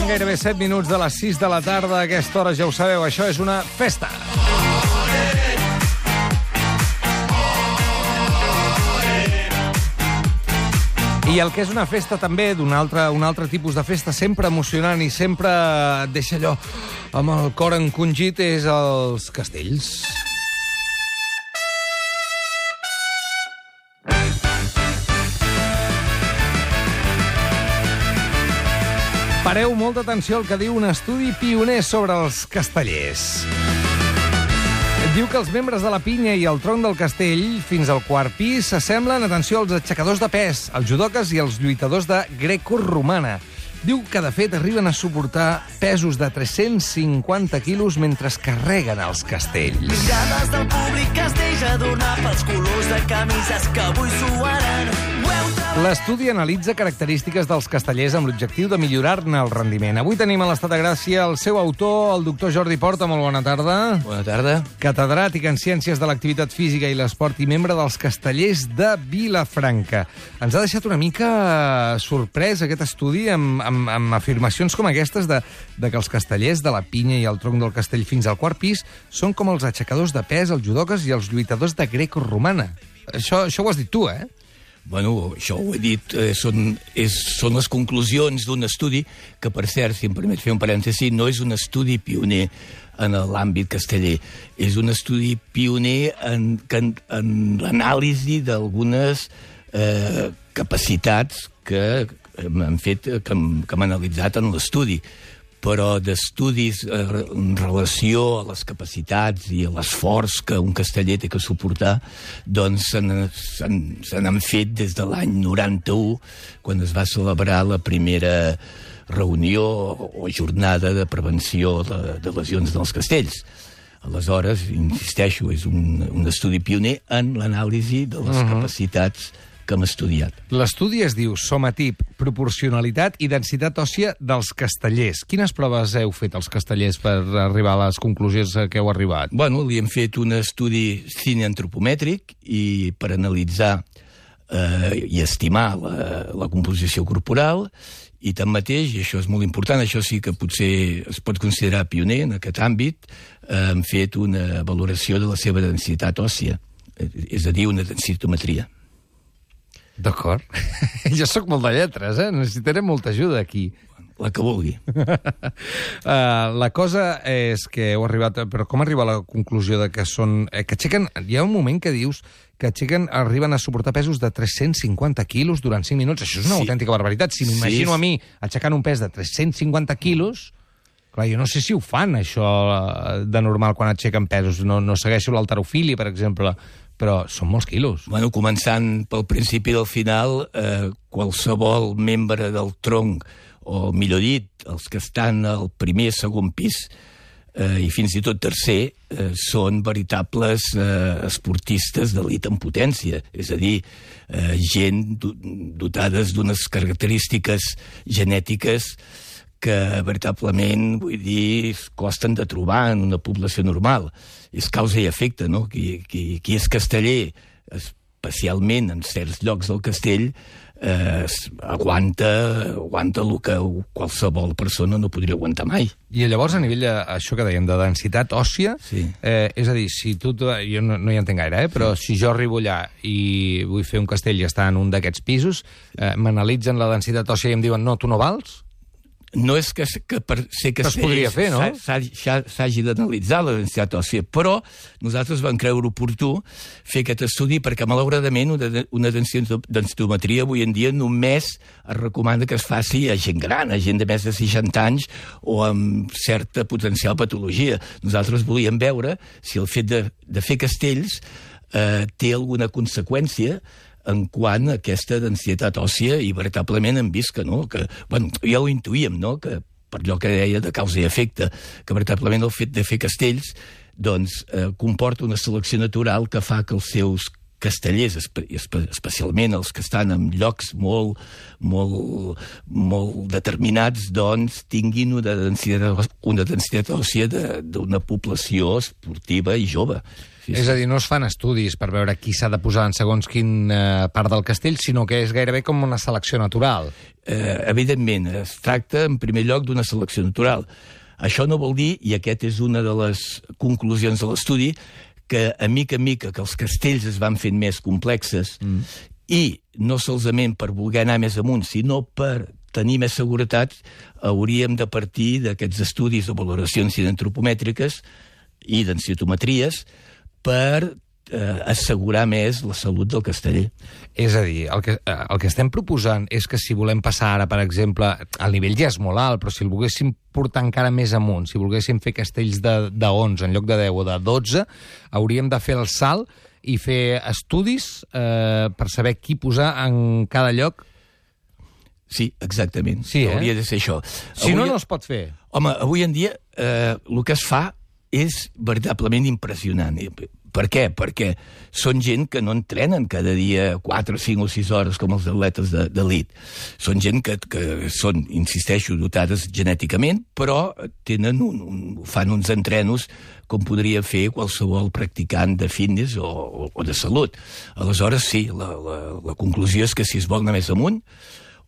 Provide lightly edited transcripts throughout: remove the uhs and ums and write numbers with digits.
gairebé 7 minuts de les 6 de la tarda. A aquesta hora, ja ho sabeu, això és una festa. I el que és una festa també, un altre tipus de festa, sempre emocionant i sempre et deixa allò amb el cor encongit, és els castells. Pareu molta atenció al que diu un estudi pioner sobre els castellers. Diu que els membres de la pinya i el tronc del castell, fins al quart pis, s'assemblen, atenció, als aixecadors de pes, als judoques i als lluitadors de grecorromana. Diu que, de fet, arriben a suportar pesos de 350 quilos mentre carreguen els castells. Mirades del públic es deixa donar pels colors de camises que avui suaran. L'estudi analitza característiques dels castellers amb l'objectiu de millorar-ne el rendiment. Avui tenim a l'Estat de Gràcia el seu autor, el doctor Jordi Porta. Molt bona tarda. Bona tarda. Catedràtic en Ciències de l'Activitat Física i l'Esport i membre dels Castellers de Vilafranca. Ens ha deixat una mica sorprès aquest estudi amb afirmacions com aquestes de que els castellers de la pinya i el tronc del castell fins al quart pis són com els aixecadors de pes, els judoques i els lluitadors de grecoromana. Això ho has dit tu, eh? Bueno, això ho he dit, són les conclusions d'un estudi que, per cert, si em permet fer un parèntesi, no és un estudi pioner en l'àmbit casteller. És un estudi pioner en l'anàlisi d'algunes capacitats que hem analitzat en l'estudi. Però d'estudis en relació a les capacitats i a l'esforç que un casteller té que suportar, doncs se n'han fet des de l'any 91, quan es va celebrar la primera reunió o jornada de prevenció de lesions dels castells. Aleshores, insisteixo, és un estudi pioner en l'anàlisi de les capacitats que hem estudiat. L'estudi es diu Somatip, proporcionalitat i densitat òssia dels castellers. Quines proves heu fet els castellers per arribar a les conclusions a què heu arribat? Bueno, li hem fet un estudi cineantropomètric i per analitzar i estimar la composició corporal, i tanmateix, i això és molt important, això sí que potser es pot considerar pioner en aquest àmbit, hem fet una valoració de la seva densitat òssia, és a dir, una densitometria. D'acord. Jo sóc molt de lletres, necessitaré molta ajuda aquí. La que vulgui. La cosa és que heu arribat... Però com arriba a la conclusió de que són... que aixequen... Hi ha un moment que dius que arriben a suportar pesos de 350 quilos durant 5 minuts. Això és una autèntica barbaritat. Si m'imagino a mi aixecant un pes de 350 quilos... Clar, jo no sé si ho fan, això, de normal, quan aixequen pesos. No segueixo l'halterofília, per exemple, però són molts quilos. Bueno, començant pel principi del final, qualsevol membre del tronc, o millor dit, els que estan al primer, segon pis, i fins i tot tercer, són veritables esportistes d'elit en potència. És a dir, gent dotades d'unes característiques genètiques que veritablement, vull dir, costen de trobar en una població normal. És causa i efecte, no? Qui és casteller, especialment en certs llocs del castell, aguanta el que qualsevol persona no podria aguantar mai. I llavors, a nivell això que dèiem, de densitat òssia, és a dir, si tu... Jo no hi entenc gaire, però si jo arribo allà i vull fer un castell i està en un d'aquests pisos, m'analitzen la densitat òssia i em diuen, no, tu no vals? No és que per ser castell s'hagi d'analitzar la densitat òssia, però nosaltres vam creure oportú fer aquest estudi perquè, malauradament, una densitometria avui en dia només es recomana que es faci a gent gran, a gent de més de 60 anys o amb certa potencial patologia. Nosaltres volíem veure si el fet de fer castells té alguna conseqüència en quant a aquesta densitat òssia, i veritablement hem vist que no, que, bueno, ja ho intuïem, no?, que per allò que deia de causa i efecte, que veritablement el fet de fer castells doncs comporta una selecció natural que fa que els seus castellers, especialment els que estan en llocs molt determinats, doncs tinguin una densitat òssia d'una població esportiva i jove. Sí. És a dir, no es fan estudis per veure qui s'ha de posar en segons quin part del castell, sinó que és gairebé com una selecció natural. Evidentment, es tracta en primer lloc d'una selecció natural. Això no vol dir, i aquest és una de les conclusions de l'estudi, que a mica que els castells es van fent més complexes i no solament per voler anar més amunt, sinó per tenir més seguretat, hauríem de partir d'aquests estudis de valoracions antropomètriques i densitometries per assegurar més la salut del casteller. És a dir, el que estem proposant és que si volem passar ara, per exemple, el nivell ja és molt alt, però si el volguéssim portar encara més amunt, si volguéssim fer castells de 11 en lloc de 10 o de 12, hauríem de fer el salt i fer estudis per saber qui posar en cada lloc. Sí, exactament. Sí, hauria de ser això. Si no, no es pot fer. Home, avui en dia el que es fa és veritablement impressionant. Per què? Perquè són gent que no entrenen cada dia 4, 5 o 6 hores com els atletes d'elit. Són gent que són, insisteixo, dotades genèticament, però fan uns entrenos com podria fer qualsevol practicant de fitness o de salut. Aleshores, sí, la conclusió és que si es vol anar més amunt,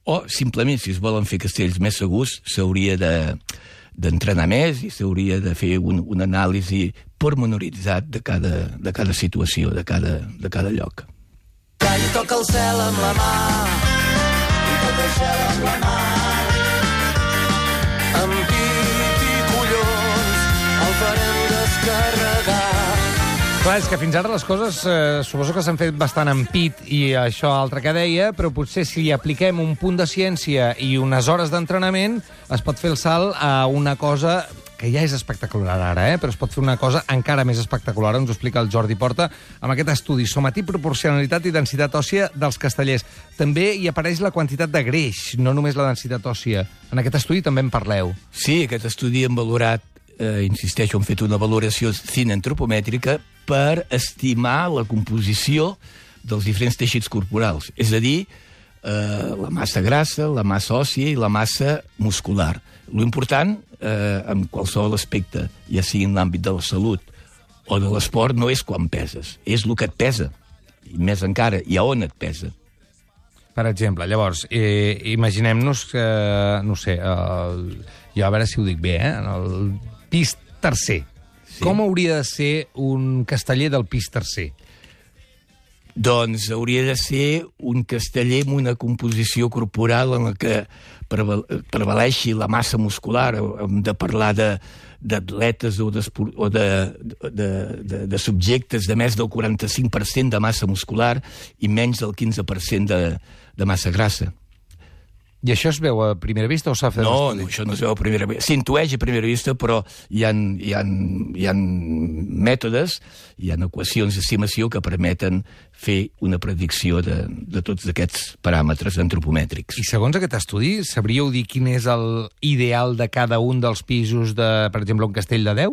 o simplement si es volen fer castells més segurs, s'hauria d'entrenar més i s'hauria de fer una anàlisi pormenoritzat de cada situació, de cada lloc. Que ell toca el cel amb la mà i toca el cel amb la mà. Amb pit i collons el farem descarregar. Clar, és que fins ara les coses suposo que s'han fet bastant en pit i això altre que deia, però potser si li apliquem un punt de ciència i unes hores d'entrenament es pot fer el salt a una cosa que ja és espectacular ara, però es pot fer una cosa encara més espectacular, ens ho explica el Jordi Porta, amb aquest estudi somatí, proporcionalitat i densitat òssia dels castellers. També hi apareix la quantitat de greix, no només la densitat òssia. En aquest estudi també en parleu. Sí, aquest estudi hem valorat, insisteixo, hem fet una valoració cinantropomètrica per estimar la composició dels diferents teixits corporals, és a dir, la massa grassa, la massa òssia i la massa muscular. L'important, en qualsevol aspecte, ja sigui en l'àmbit de la salut o de l'esport, no és quan peses, és el que et pesa. I més encara, i a on et pesa. Per exemple, llavors, imaginem-nos que, no sé, jo a veure si ho dic bé, el pis tercer. Sí. Com hauria de ser un casteller del pis tercer? Doncs hauria de ser un casteller amb una composició corporal en la que prevaleixi la massa muscular. Hem de parlar d'atletes o de subjectes de més del 45% de massa muscular i menys del 15% de massa grassa. I això es veu a primera vista o s'ha fet No, això no es veu a primera vista. S'intueix a primera vista, però hi ha mètodes, hi ha equacions d'estimació que permeten fer una predicció de tots aquests paràmetres antropomètrics. I segons aquest estudi, sabríeu dir quin és l'ideal de cada un dels pisos de, per exemple, un castell de 10?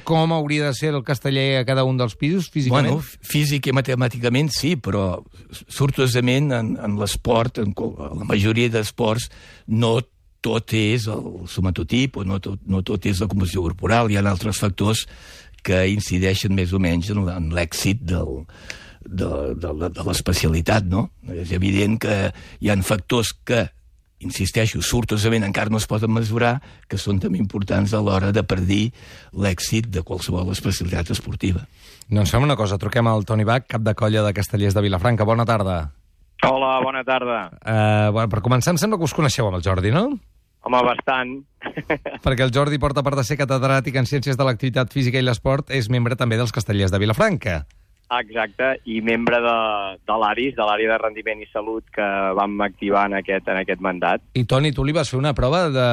Com hauria de ser el casteller a cada un dels pisos, físicament? Bueno, físic i matemàticament sí, però sortosament en l'esport, en la majoria d'esports, no tot és el somatotip o no tot és la composició corporal. Hi ha altres factors que incideixen més o menys en l'èxit de l'especialitat, no? És evident que hi ha factors que, insisteixo, sortosament encara no es poden mesurar, que són també importants a l'hora de predir l'èxit de qualsevol especialitat esportiva. Doncs fem una cosa, truquem al Toni Bach, cap de colla de Castellers de Vilafranca. Bona tarda. Hola, bona tarda. Per començar, em sembla que us coneixeu amb el Jordi, no? Home, bastant. Perquè el Jordi Porta, a part de ser catedràtic en Ciències de l'Activitat Física i l'Esport, és membre també dels Castellers de Vilafranca. Exacte, i membre de l'ARIS, de l'Àrea de Rendiment i Salut, que vam activar en aquest mandat. I Toni, tu li vas fer una prova de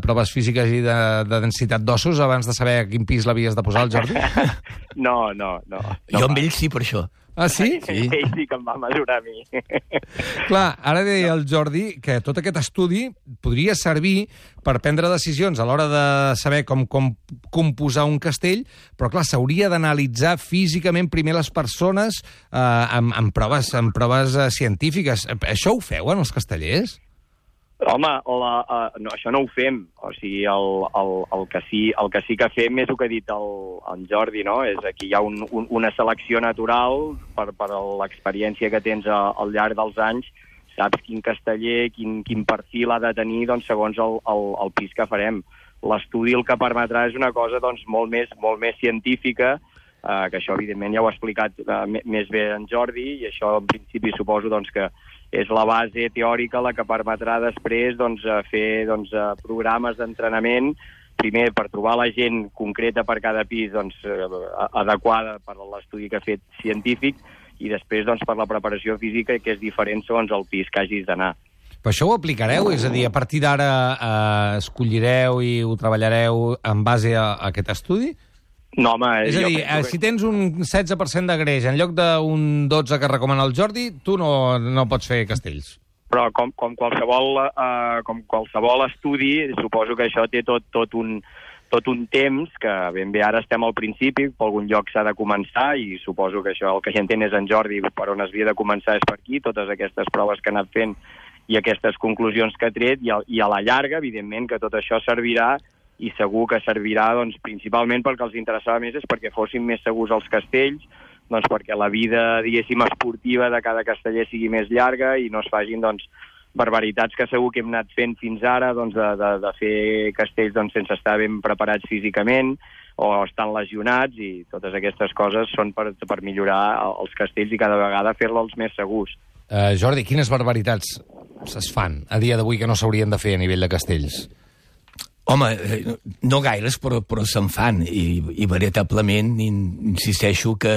proves físiques i de densitat d'ossos abans de saber a quin pis l'havies de posar, el Jordi? No. Jo amb ell sí, per això. Ah, sí? Sí. Ell sí que em va mesurar a mi. Clar, ara deia el Jordi que tot aquest estudi podria servir per prendre decisions a l'hora de saber com composar un castell, però clar, s'hauria d'analitzar físicament primer les persones amb proves científiques. Això ho feu en els castellers? Home, no, això no ho fem. O sigui, el que sí que fem és el que ha dit el Jordi, no? És aquí hi ha una selecció natural per l'experiència que tens al llarg dels anys. Saps quin casteller, quin perfil ha de tenir, doncs, segons el pis que farem. L'estudi el que permetrà és una cosa doncs, molt més científica, que això, evidentment, ja ho ha explicat més bé en Jordi, i això, en principi, suposo doncs, que és la base teòrica la que permetrà després doncs, fer programes d'entrenament, primer per trobar la gent concreta per cada pis doncs, adequada per l'estudi que ha fet científic, i després doncs, per la preparació física, que és diferent segons el pis que hagis d'anar. Però això ho aplicareu? És a dir, a partir d'ara escollireu i ho treballareu en base a aquest estudi? No, home, és a dir, si tens un 16% de greix en lloc d'un 12 que recomana el Jordi, tu no pots fer castells. Però com qualsevol estudi, suposo que això té tot un temps, que ben bé ara estem al principi, per algun lloc s'ha de començar, i suposo que això el que ja entén és en Jordi, per on es havia de començar és per aquí, totes aquestes proves que ha anat fent i aquestes conclusions que ha tret, i a la llarga, evidentment, que tot això servirà, i segur que servirà doncs, principalment perquè els interessava més és perquè fossin més segurs els castells, doncs perquè la vida, diguéssim, esportiva de cada casteller sigui més llarga i no es facin doncs, barbaritats que segur que hem anat fent fins ara, doncs, de fer castells doncs, sense estar ben preparats físicament o estan lesionats, i totes aquestes coses són per millorar els castells i cada vegada fer-los més segurs. Jordi, quines barbaritats es fan a dia d'avui que no s'haurien de fer a nivell de castells? Home, no gaires, però se'n fan, i veritablement insisteixo que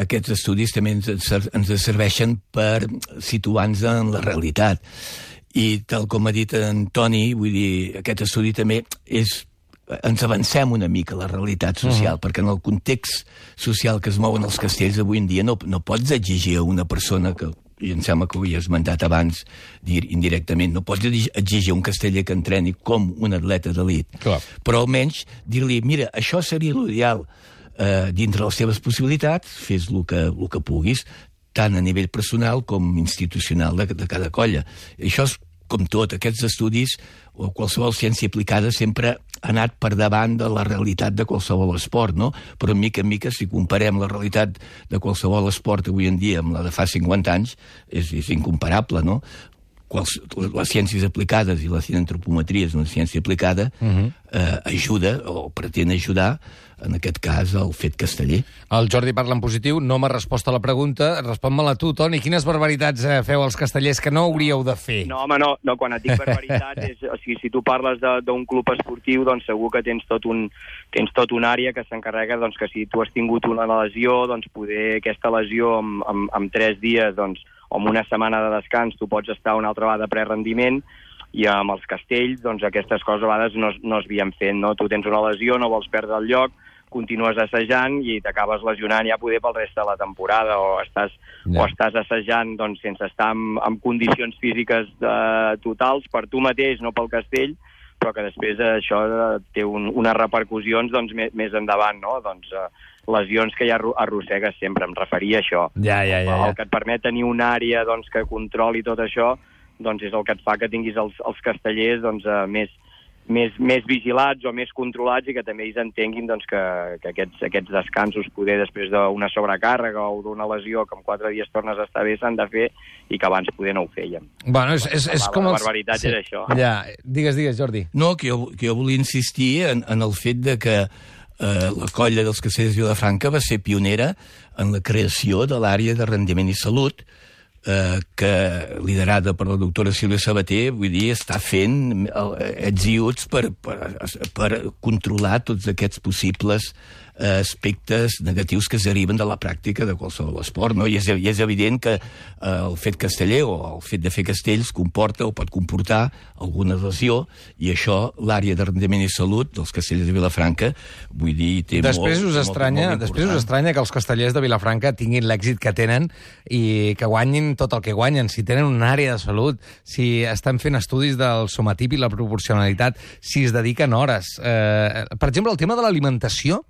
aquests estudis també ens serveixen per situar-nos en la realitat. I tal com ha dit en Toni, vull dir, aquest estudi també ens avancem una mica a la realitat social, perquè en el context social que es mouen els castells avui en dia no pots exigir a una persona que, i em sembla que ho he esmentat abans indirectament, no pots exigir a un casteller que entreni com un atleta d'elit, però almenys dir-li, mira, això seria l'ideal dintre les teves possibilitats, fes el que puguis, tant a nivell personal com institucional de cada colla. Això és com tot, aquests estudis o qualsevol ciència aplicada sempre ha anat per davant de la realitat de qualsevol esport, no? Però mica en mica, si comparem la realitat de qualsevol esport avui en dia amb la de fa 50 anys, és incomparable, no? Les ciències aplicades, i la cienantropometria és una ciència aplicada, ajuda, o pretén ajudar, en aquest cas, el fet casteller. El Jordi parla en positiu, no m'ha respost a la pregunta. Respon-me-la tu, Toni. Quines barbaritats feu els castellers que no hauríeu de fer? No, home, no, quan et dic barbaritats, o sigui, si tu parles d'un club esportiu, doncs segur que tens tot una àrea que s'encarrega, doncs, que si tu has tingut una lesió, doncs poder aquesta lesió en 3 dies, doncs, o en una setmana de descans, tu pots estar una altra vegada de prerendiment, i amb els castells, doncs, aquestes coses a vegades no es havien fet, no? Tu tens una lesió, no vols perdre el lloc, continues assajant i t'acabes lesionant ja poder pel reste de la temporada, o estàs assajant doncs, sense estar en condicions físiques totals per tu mateix, no pel castell, però que després això té unes repercussions doncs, més endavant, no? Doncs, lesions que ja arrossegues sempre, em referia a això. El que et permet tenir una àrea doncs, que controli tot això, doncs és el que et fa que tinguis els castellers doncs, més vigilats o més controlats, i que també ells entenguin doncs, que aquests descansos, poder després d'una sobrecàrrega o d'una lesió que en 4 dies tornes a estar bé, s'han de fer, i que abans poder no ho fèiem. Bueno, és com la barbaritat és això. Ja, digues, Jordi. No, que jo volia insistir en el fet de que la colla dels castellers de Vilafranca va ser pionera en la creació de l'àrea de rendiment i salut, que, liderada per la doctora Sílvia Sabater, vull dir, està fent ets i uts per controlar tots aquests possibles aspectes negatius que es deriven de la pràctica de qualsevol esport, no? I és evident que el fet casteller o el fet de fer castells comporta o pot comportar alguna lesió, i això l'àrea de rendiment i salut dels castellers de Vilafranca, vull dir, té Després us estranya que els castellers de Vilafranca tinguin l'èxit que tenen i que guanyin tot el que guanyen, si tenen una àrea de salut, si estan fent estudis del somatip i la proporcionalitat, si es dediquen hores. Per exemple, el tema de l'alimentació,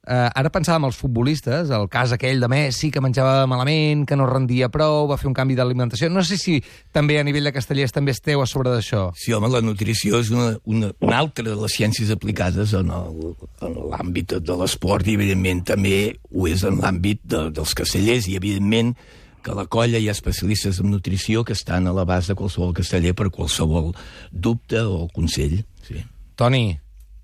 ara pensàvem els futbolistes, el cas aquell de Messi, que menjava malament, que no rendia prou, va fer un canvi d'alimentació. No sé si també a nivell de castellers també esteu a sobre d'això. Sí, home, la nutrició és una altra de les ciències aplicades en l'àmbit de l'esport, i evidentment també ho és en l'àmbit dels castellers, i evidentment que a la colla hi ha especialistes en nutrició que estan a l'abast de qualsevol casteller per qualsevol dubte o consell. Sí. Toni,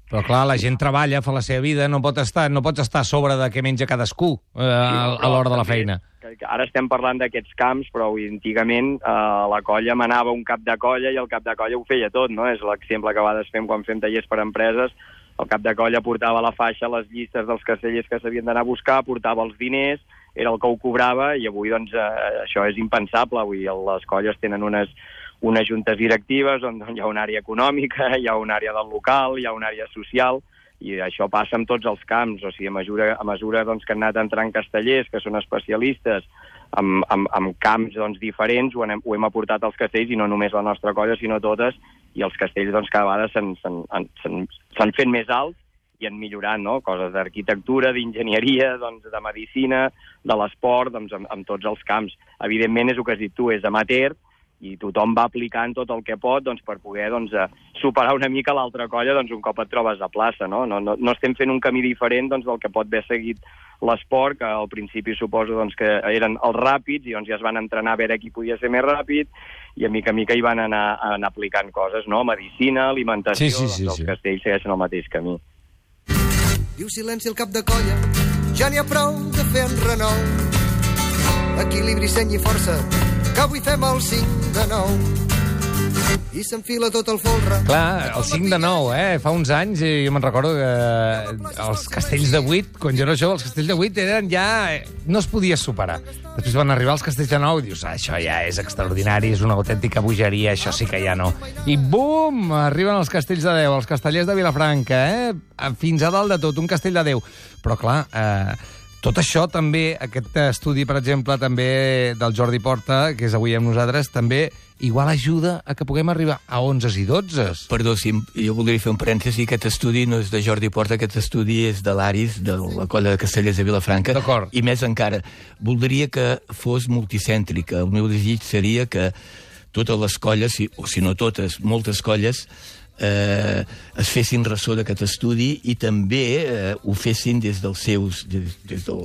però clar, la gent treballa, fa la seva vida, no pots estar a sobre de què menja cadascú a l'hora de la feina. Ara estem parlant d'aquests camps, però antigament la colla manava un cap de colla i el cap de colla ho feia tot, no? És l'exemple que a vegades fem quan fem tallers per empreses. El cap de colla portava a la faixa les llistes dels castellers que s'havien d'anar a buscar, portava els diners, era el que ho cobrava, i avui doncs això és impensable. Avui les colles tenen unes juntes directives on hi ha una àrea econòmica, hi ha una àrea del local, hi ha una àrea social, i això passa en tots els camps. O sigui, a mesura doncs, que han anat entrant castellers, que són especialistes en camps doncs, diferents, ho hem aportat als castells, i no només la nostra colla, sinó totes, i els castells doncs, cada vegada s'han fet més alts i han millorat, no? Coses d'arquitectura, d'enginyeria, doncs, de medicina, de l'esport, doncs, en tots els camps. Evidentment, és el que has dit tu, és amateur, i tothom va aplicant tot el que pot doncs, per poder doncs, superar una mica l'altra colla doncs, un cop et trobes a plaça. No estem fent un camí diferent doncs, del que pot haver seguit l'esport, que al principi suposo doncs, que eren els ràpids, i doncs, ja es van entrenar a veure qui podia ser més ràpid, i a mica hi van anar aplicant coses, no? Medicina, alimentació, sí. Els castells segueixen el mateix camí. Diu silenci al cap de colla, ja n'hi ha prou de fer enrenou. Equilibri, seny i força, que avui fem el 5 de 9. I s'enfila tot el folre. Clar, el 5 de 9, fa uns anys, jo me'n recordo que els castells de 8, quan jo era jove, els castells de 8 eren ja... no es podia superar. Després van arribar els castells de 9 i dius, això ja és extraordinari, és una autèntica bogeria, això sí que ja no. I bum! Arriben els castells de 10, els castellers de Vilafranca, fins a dalt de tot, un castell de 10. Però clar, tot això també, aquest estudi, per exemple, també del Jordi Porta, que és avui amb nosaltres, també igual ajuda a que puguem arribar a 11 i 12. Perdó, jo voldria fer un parèntesi. Aquest estudi no és de Jordi Porta, aquest estudi és de l'Aris, de la colla de castellers de Vilafranca. D'acord. I més encara, voldria que fos multicèntrica. El meu desig seria que totes les colles, o si no totes, moltes colles, es fessin ressò d'aquest estudi i també ho fessin des dels seus...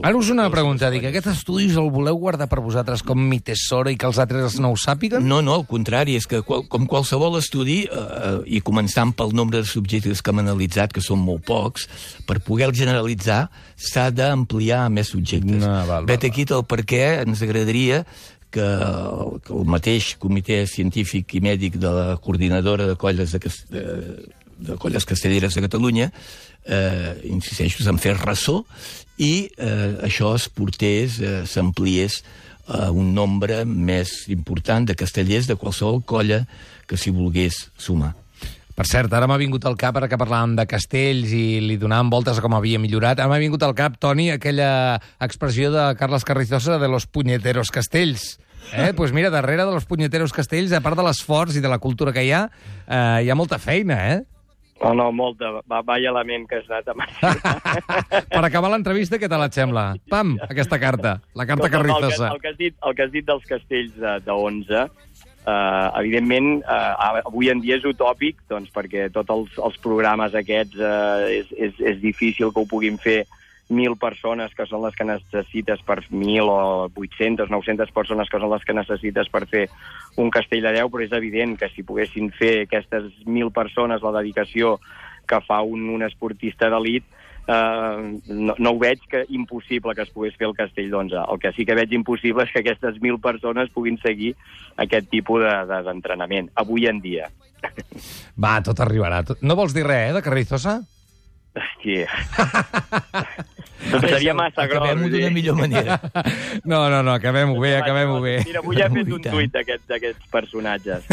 Ara us una pregunta, dic, aquest estudi el voleu guardar per vosaltres com mi tesoro i que els altres no ho sàpiguen? No, al contrari, és que com qualsevol estudi, i començant pel nombre de subjectes que hem analitzat, que són molt pocs, per poder-el generalitzar s'ha d'ampliar a més subjectes. Vet aquí el per què ens agradaria que el mateix comitè científic i mèdic de la coordinadora de colles de colles castelleres de Catalunya insisteixo en fer ressò i això es portés, s'ampliés a un nombre més important de castellers de qualsevol colla que s'hi volgués sumar. Per cert, ara m'ha vingut al cap, ara que parlàvem de castells i li donàvem voltes a com havia millorat, ara m'ha vingut al cap, Toni, aquella expressió de Carles Carrizosa de los puñeteros castells. Pues mira, darrere de los puñeteros castells, a part de l'esforç i de la cultura que hi ha molta feina, No, molta. Vaya element que has anat a Per acabar l'entrevista, què tal et sembla? Pam, aquesta carta, la carta Carrizosa. El que has dit dels castells de 11, evidentment, avui en dia és utòpic, doncs, perquè tots els programes aquests és difícil que ho puguin fer 1.000 persones, que són les que necessites per 1.000 o 800, 900 persones, que són les que necessites per fer un castell de 10, però és evident que si poguessin fer aquestes 1.000 persones la dedicació que fa un esportista d'elit, no ho veig impossible que es pogués fer el castell d'11. El que sí que veig impossible és que aquestes 1.000 persones puguin seguir aquest tipus d'entrenament, avui en dia. Va, tot arribarà. No vols dir res, de Carrizosa? Hòstia. Doncs seria massa gros. Acabem-ho d'una millor manera. No, acabem-ho bé. Mira, avui he fet un tuit d'aquests personatges.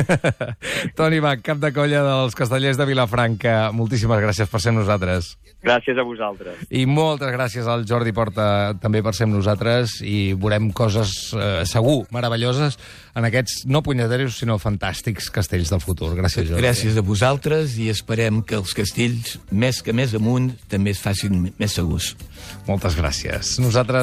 Toni Bach, cap de colla dels Castellers de Vilafranca, moltíssimes gràcies per ser amb nosaltres. Gràcies a vosaltres. I moltes gràcies al Jordi Porta també per ser amb nosaltres, i veurem coses segur meravelloses en aquests no punyeteros sinó fantàstics castells del futur. Gràcies, Jordi. Gràcies a vosaltres, i esperem que els castells, més amunt, també es facin més segurs. Moltes gràcies. Nosaltres